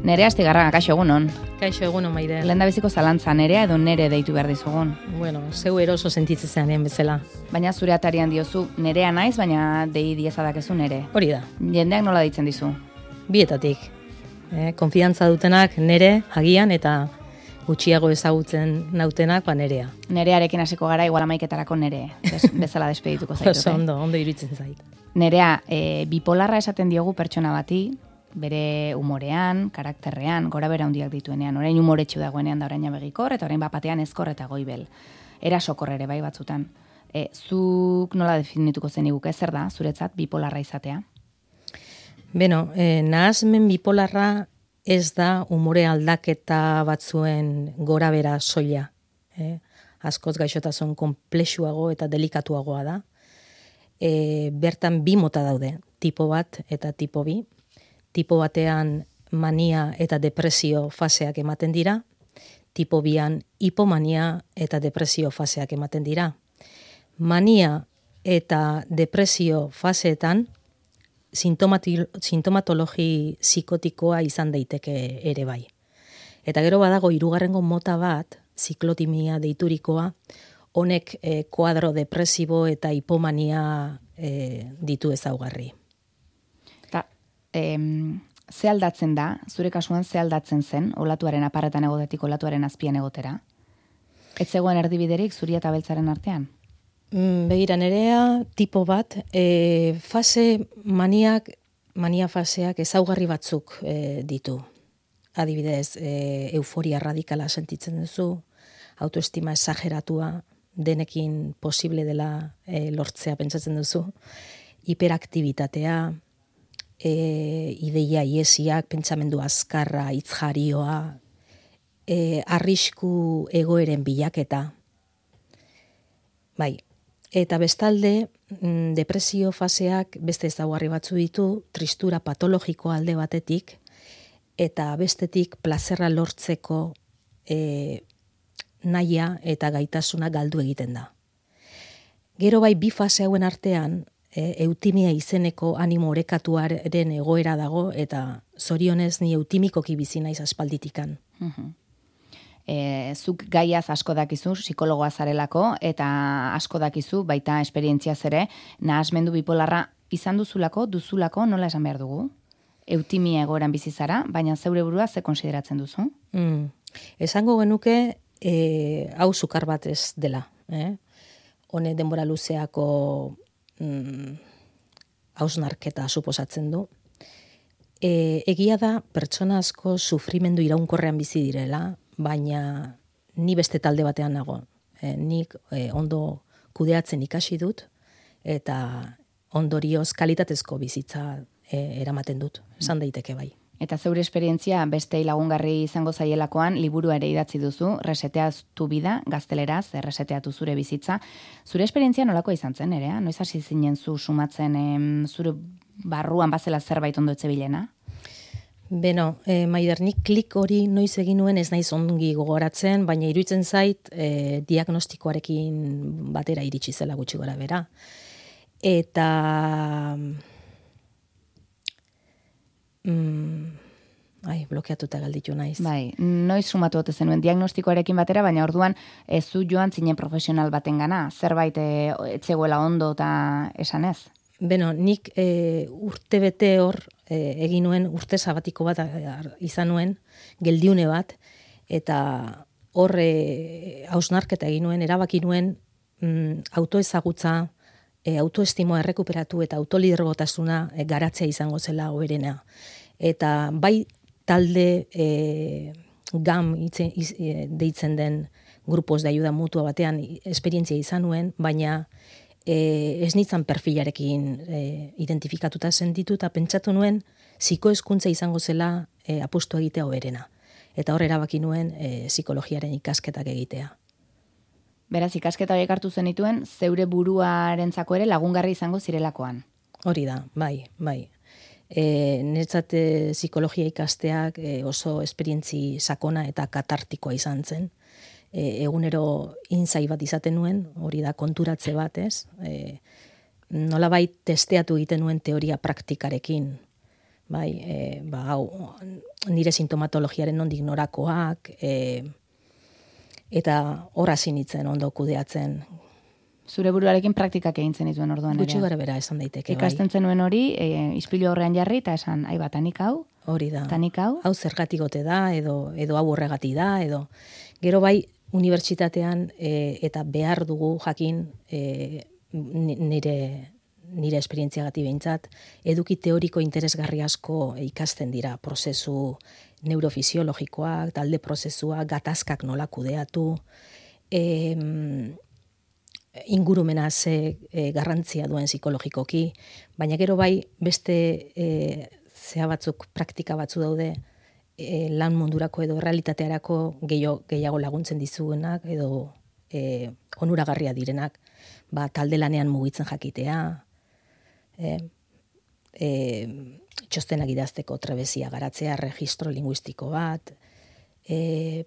Nerea Astigarraga, kaixo egunon. Kaixo egunon, Maide. Lehendabiziko zalantza, nerea edo nere deitu behar dizugun. Bueno, zeu eroso sentitzean bezala. Baina zure atarian diozu, nerea naiz, baina dei diezadakezu nere. Hori da. Jendeak nola deitzen dizu? Bietatik. Konfiantza dutenak nere, agian, eta gutxiago ezagutzen nautenak, nerea. Nerearekin hasiko gara, igual amaiketarako nere. Bezala despedituko zaitut. Ondo iruditzen zait. Nerea, bipolarra esaten diogu pertsona bati, bere humorean, karakterrean, gora bera handiak dituenean, orain humoretsu dagoenean da orain begikor, eta orain bapatean ezkor eta goibel. Erasokor ere bai batzutan. Zuk nola definituko zeniguke, zer da, zuretzat bipolarra izatea? Beno, nahasmen bipolarra ez da umore aldaketa batzuen gora bera soila. Askoz gaixotasun konplexuago eta delikatuagoa da. Bertan bi mota daude, tipo bat eta tipo bi. Tipo batean mania eta depresio faseak ematen dira, tipo bian hipomania eta depresio faseak ematen dira. Mania eta depresio faseetan sintomatologi psikotikoa izan daiteke ere bai. Eta gero badago hirugarrengo mota bat, ziklotimia deiturikoa, honek kuadro depresibo eta hipomania ditu ezaugarri. Ze aldatzen da, zure kasuan ze aldatzen zen, olatuaren aparretan egotetik olatuaren azpian egotera? Ez zegoen erdibiderik zuria eta beltzaren artean? Begira, nerea tipo bat, mania faseak ezaugarri batzuk ditu. Adibidez, euforia radikala sentitzen duzu, autoestima exageratua, denekin posible dela lortzea pentsatzen duzu, hiperaktibitatea, ideia iesiak, pentsamendu azkarra, hitzjarioa, arrisku egoeren bilaketa. Bai, eta bestalde, depresio faseak beste ezaugarri batzu ditu, tristura patologiko alde batetik, eta bestetik plazerra lortzeko nahia eta gaitasuna galdu egiten da. Gero bai, bi fase hauen artean, eutimia izeneko animo orekatuaren egoera dago, eta zorionez ni eutimikoki bizi naiz aspalditikan. Zuk gaiaz asko dakizu, psikologoa zarelako, eta asko dakizu, baita esperientziaz ere, nahasmendu bipolarra izan duzulako, nola esan behar dugu? Eutimia egoeran bizi zara, baina zeure burua ze konsideratzen duzu? Esango genuke, hau sukar bat ez dela. Hone denbora luzeako hausnarketa suposatzen du. Egia da pertsona asko sufrimendu iraunkorrean bizi direla, baina ni beste talde batean nago. Nik ondo kudeatzen ikasi dut, eta ondorioz kalitatezko bizitza eramaten dut, esan daiteke bai. Eta zeure esperientzia beste lagungarri izango zaielakoan liburua ere idatzi duzu, Reseteatu bida, gazteleraz, reseteatu zure bizitza. Zure esperientzia nolakoa izan zen, ere? Noiz hasi zinen zu sumatzen zure barruan bazela zerbait ondo etzebilena? Beno, Maider, nik klik hori noiz egin nuen ez naiz ongi gogoratzen, baina iruditzen zait diagnostikoarekin batera iritsi zela gutxi gora bera. Eta blokeatuta galditu naiz. Bai, noiz sumatu ote zenuen diagnostikoarekin batera, baina orduan ez zu joan zinen profesional batengana, zerbait etzegoela ondo eta esan ez? Beno, nik urte bete hor egin nuen, urte sabatiko bat izan nuen, geldiune bat, eta hor hausnarketa egin nuen, erabaki nuen autoezagutza, autoestimoa errekuperatu eta autolidergotasuna garatzea izango zela hoberena. Eta bai talde GAM deitzen den grupos de ayuda mutua batean esperientzia izan nuen, baina ez nintzen perfilarekin identifikatuta sentitu eta pentsatu nuen psikohezkuntza izango zela apustu egitea hoberena. Eta hor erabaki nuen psikologiaren ikasketak egitea. Beraz, ikasketa horiek hartu zenituen, zeure buruarentzako ere lagungarri izango zirelakoan. Hori da, bai. Niretzat psikologia ikasteak oso esperientzi sakona eta katartikoa izan zen. Egunero inzai bat izaten nuen, hori da konturatze bat, ez? Nolabait testeatu egiten nuen teoria praktikarekin. bai, hau, nire sintomatologiaren nondik norakoak, eta hor hasi nintzen ondo kudeatzen. Zure buruarekin praktikak egin zenituen orduan ere. Gutxi gara bera esan daiteke, ikasten zenuen hori, ispilu aurrean jarri, eta esan, aiba, tanik hau, hori da. Tanik hau zergatik ote da, edo hau horregatik da, edo gero bai unibertsitatean eta behar dugu jakin nire esperientziagatik behintzat, eduki teoriko interesgarri asko ikasten dira, prozesu neurofisiologikoak, talde prozesuak, gatazkak nola kudeatu, ingurumena ze garrantzia duen psikologikoki, baina gero bai beste zea batzuk, praktika batzu daude, lan mundurako edo realitatearako gehiago laguntzen dizuenak edo onuragarria direnak, talde lanean mugitzen jakitea, txostenak idazteko trebezia garatzea, registro linguistiko bat,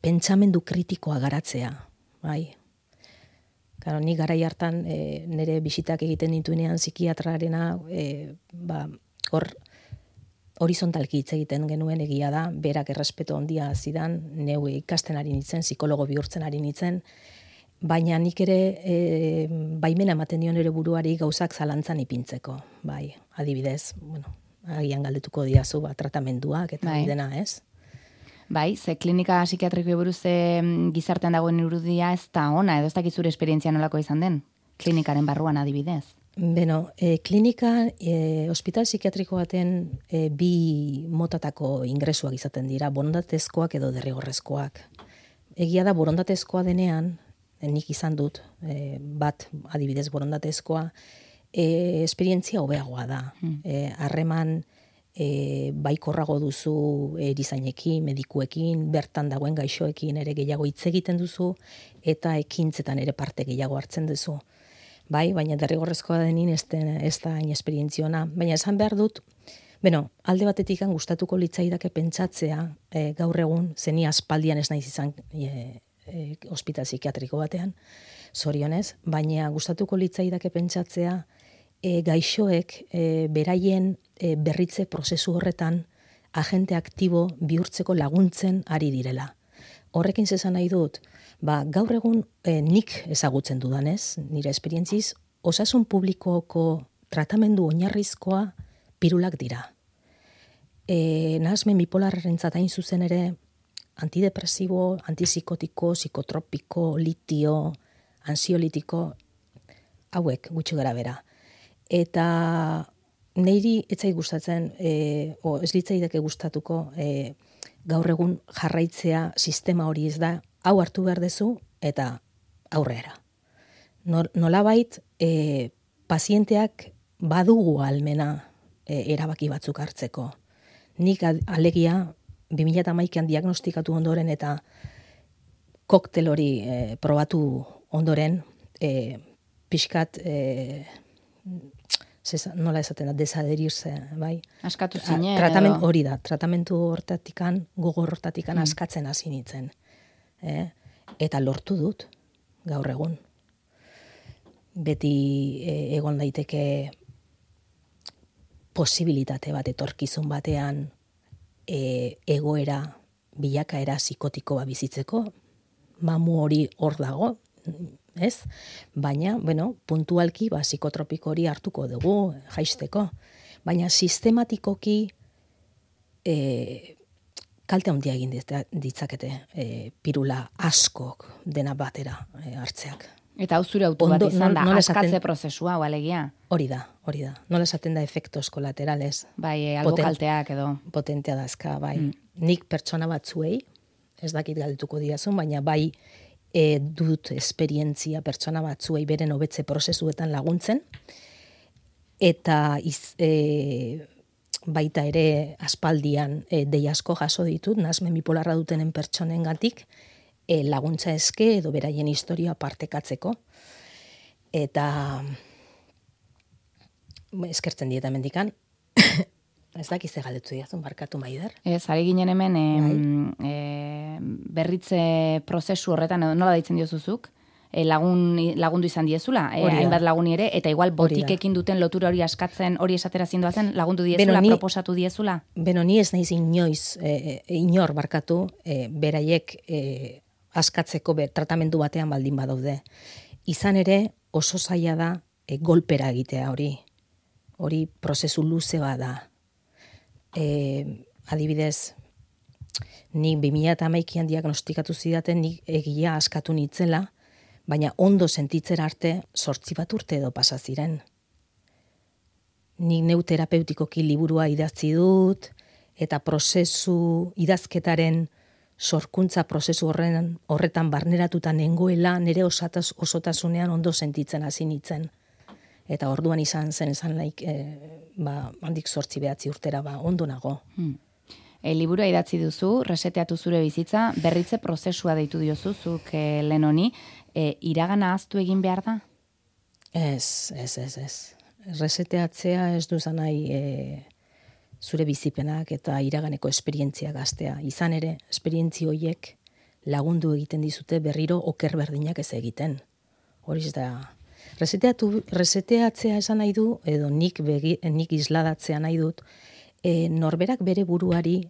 pentsamendu kritikoa garatzea, bai. Claro, ni garai hartan nire bisitak egiten dituenean psikiatrarena, hor horizontalki hitz egiten genuen, egia da, berak errespeto handia zidan, neu ikasten ari nintzen, psikologo bihurtzen ari nintzen, baina nik ere baimena ematen dion ere buruari gauzak zalantzan ipintzeko, bai, adibidez, bueno, agian galdetuko diazu, tratamenduak eta dena, ez? Bai, ze klinika psikiatrikoei buruz gizartean dagoen irudia ez da ona, edo ez dakit zure esperientzia nolako izan den, klinikaren barruan adibidez. Beno, klinika, hospital psikiatriko baten bi motatako ingresuak izaten dira, borondatezkoak edo derrigorrezkoak. Egia da, borondatezkoa denean, nik izan dut, bat adibidez borondatezkoa, esperientzia hobeagoa da. Harreman baikorrago duzu erizainekin, medikuekin, bertan dagoen gaixoekin ere gehiago hitz egiten duzu, eta ekintzetan ere parte gehiago hartzen duzu. Bai, baina derrigorrezkoa denin ez da hain esperientziona. Baina esan behar dut, alde batetik gustatuko litzaidake pentsatzea gaur egun, zeni aspaldian ez naiz izan hospital psikiatriko batean, zorionez, baina gustatuko litzaidake pentsatzea gaixoek beraien berritze prozesu horretan agente aktibo bihurtzeko laguntzen ari direla. Horrekin zesan nahi dut, gaur egun nik ezagutzen dudanez, nire esperientziz, osasun publikoko tratamendu oinarrizkoa pirulak dira. Nahasmen bipolarrentzat hain zuzen ere, antidepresibo, antipsikotiko, psikotropiko, litio, ansiolitiko, hauek gutxi gara bera. Eta niri etzai gustatzen, ez litzaidake gustatuko, gaur egun jarraitzea sistema hori ez da, hau hartu behar dezu eta aurrera. Nolabait, pazienteak badugu almena erabaki batzuk hartzeko. Nik alegia 2011an diagnostikatu ondoren eta koktel hori probatu ondoren, pixkat, nola esaten da, desaderirse, bai? Askatu zine. Hori da, tratamentu hortatikan, gogor hortatikan askatzen hasi nintzen. Eta lortu dut, gaur egun. Beti egon daiteke posibilitate bat etorkizun batean egoera, bilakaera psikotikoa bizitzeko, mamu hori hor dago, ez? Baina, puntualki psikotropiko hori hartuko dugu, jaisteko. Baina sistematikoki kalte handia egin ditzakete pirula askok dena batera hartzeak. Eta hau zure autu bat izan da, askatze prozesua, alegia? Hori da. Nola esaten da efektos kolaterales. Bai, albo kalteak edo. Potentea dazka, bai. Nik pertsona batzuei, ez dakit galdetuko diazun, baina bai dut esperientzia pertsona batzuei beren hobetze prozesuetan laguntzen, eta baita ere aspaldian dei asko jaso ditut, nahasmen bipolarra dutenen pertsonengatik, laguntza eske edo beraien historia partekatzeko. Eta eskertzen dieta mendikan, ez dakiz galdetu diazun, barkatu Maider. Ez, ari ginen hemen berritze prozesu horretan, nola deitzen diozuzuk, lagundu izan diezula, hainbat laguni ere, eta igual botikekin duten lotura hori askatzen, hori esatera zindoazen, lagundu diezula, proposatu diezula? Beno, ni ez naiz inoiz, inor barkatu, beraiek askatzeko tratamendu batean baldin badaude. Izan ere, oso zaila da golpera egitea hori. Hori prozesu luze bada. Adibidez, nik 2011an diagnostikatu zidaten, nik egia askatu nitzela, baina ondo sentitzera arte 8 bat urte edo pasa ziren. Nik neu terapeutikoki liburua idatzi dut, eta prozesu idazketaren sorkuntza prozesu horretan barneratuta nengoela, nire osotasunean ondo sentitzen hasi nitzen. Eta orduan izan zen, handik 8-9 urtera, ondo nago. Liburua idatzi duzu, reseteatu zure bizitza, berritze prozesua deitu diozu, zuk lehen honi, iragana ahaztu egin behar da? Ez. Reseteatzea ez duzan nahi zure bizipenak eta iraganeko esperientzia gaztea. Izan ere, esperientzi horiek lagundu egiten dizute berriro oker berdinak ez egiten. Horiz da, reseteatzea esan nahi du, edo nik isladatzea nahi dut, norberak bere buruari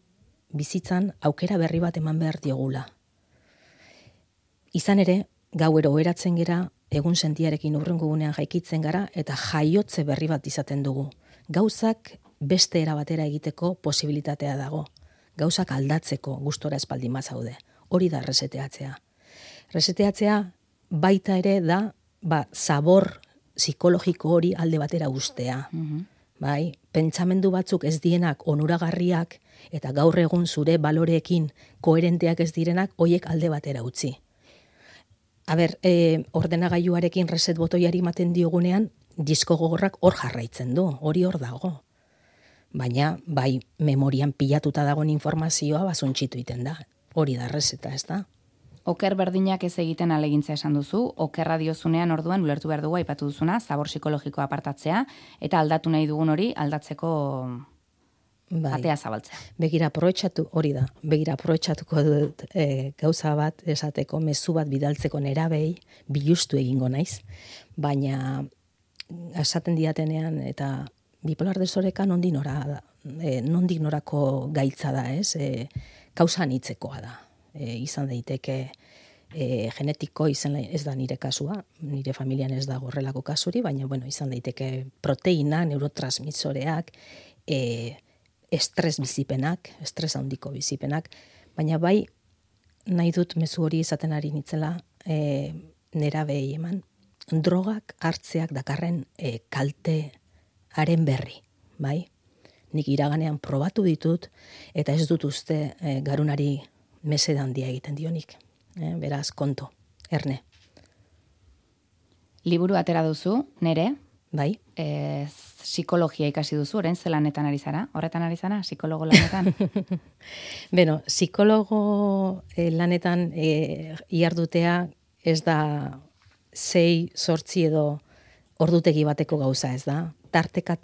bizitzan aukera berri bat eman behar diogula. Izan ere, gauero oheratzen gera, egun sentiarekin hurrengo gunean jaikitzen gara, eta jaiotze berri bat izaten dugu. Gauzak beste era batera egiteko posibilitatea dago. Gauzak aldatzeko gustora espaldin bazaude. Hori da reseteatzea. Reseteatzea baita ere da, zabor psikologiko hori alde batera ustea. Bai, pentsamendu batzuk ez dienak onuragarriak eta gaur egun zure baloreekin koherenteak ez direnak, hoiek alde batera utzi. Ordenagailuarekin reset botoiari ematen diogunean, disko gogorrak hor jarraitzen du, hori hor dago. Baina, bai, memorian pilatuta dagoen informazioa basuntxitu iten da. Hori da reseta, ez da? Oker berdinak ez egiten alegintza esan duzu, okerra diozunean orduan ulertu behar dugu aipatu duzuna, zabor psikologikoa apartatzea, eta aldatu nahi dugun hori aldatzeko atea zabaltzea. Begira, aprobetxatuko dut gauza bat esateko, mezu bat bidaltzeko nerabei, bilustu egingo naiz, baina esaten diatenean eta bipolar desoreka nondik norako gaitza da, ez? Kausa anitzekoa da. Izan daiteke genetiko, ez da nire kasua, nire familian ez da horrelako kasuri, baina izan daiteke proteina, neurotransmisoreak, estres bizipenak, estres handiko bizipenak, baina bai nahi dut mezu hori izaten ari nitzela nerabei eman, drogak hartzeak dakarren kaltearen berri, bai? Nik iraganean probatu ditut, eta ez dut uste garunari meseda handia egiten dionik. Beraz, konto, erne. Liburu atera duzu, nere? Bai. Psikologia ikasi duzu, orain ze lanetan ari zara? Horretan ari zara, psikologo lanetan? Beno, psikologo lanetan ihardutea ez da 6-8 edo ordutegi bateko gauza, ez da? Tarteka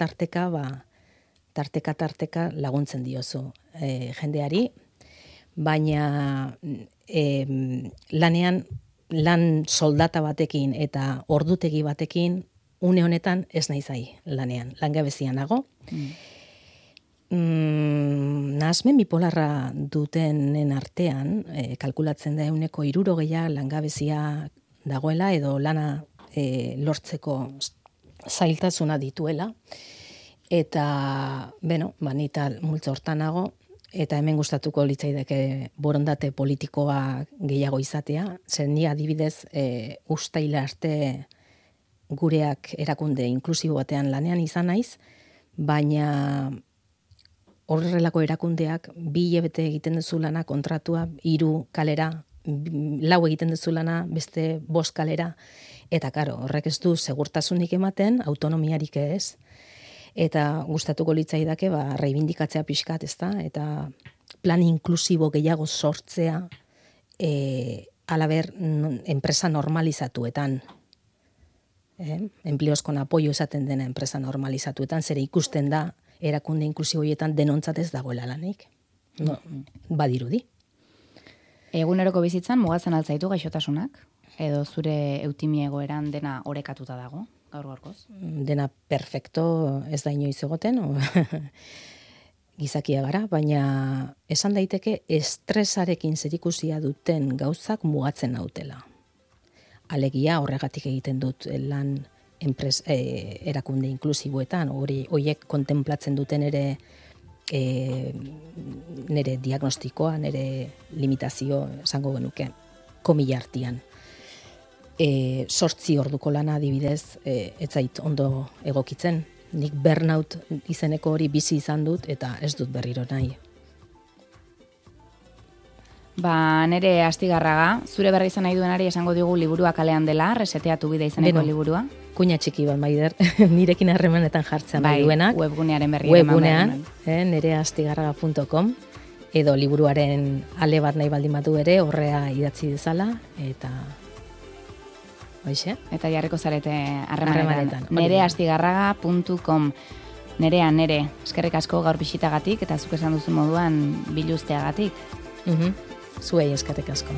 laguntzen diozu jendeari, baina lanean, lan soldata batekin eta ordutegi batekin, une honetan ez naizai lanean, langabezian nago. Nahasmen bipolarra dutenen artean, kalkulatzen da 60% langabezia dagoela, edo lana lortzeko zailtasuna dituela, eta, nita multzo hortan nago, eta hemen gustatuko litzaidake borondate politikoa gehiago izatea, zer ni adibidez ustaila arte gureak erakunde inklusibo batean lanean izan naiz, baina horrelako erakundeak 2 hilabete egiten duzu lana kontratua, 3 kalera, 4 egiten duzu lana, beste 5 kalera, eta karo, horrek ez du segurtasunik ematen, autonomiarik ez, eta gustatuko litzaidake reibindikatzea pixkat, ezta, eta plan inklusibo gehiago sortzea alaber enpresa normalizatuetan. Empleos con apoyo esaten dena enpresa normalizatuetan, zere ikusten da erakunde inklusiboietan denontzat ez dagoela lanik. Badirudi. Eguneroko bizitzan mugatzen altzaitu gaixotasunak? Edo zure eutimi egoeran dena orekatuta dago, gaur-gaurkoz? Dena perfecto ez da inoiz egoten, gizakia gara, baina esan daiteke estresarekin zerikusia duten gauzak mugatzen nautela. Alegia horregatik egiten dut lan erakunde inklusiboetan, horiek kontemplatzen duten nire diagnostikoa, nire limitazio esango genuke, komila artian. 8 orduko lana adibidez, ez zait ondo egokitzen. Nik burnout izeneko hori bizi izan dut eta ez dut berriro nahi. Nere Astigarraga, zure berri izan nahi duenari esango digu liburua kalean dela, reseteatu bide izeneko liburua. Kuina txiki bat, Maider, nirekin harremanetan jartzen nahi duenak. Webgunearen berri. Webgunean, nereastigarraga.com, edo liburuaren ale bat nahi baldin badu ere, horrea idatzi dezala, eta... Hoixe? Eta jarriko zarete harremanetan. Nereastigarraga.com. Nere, eskerrik asko gaur bisitagatik, eta zuk esan duzu moduan biluzteagatik. Zuei eskerrik asko.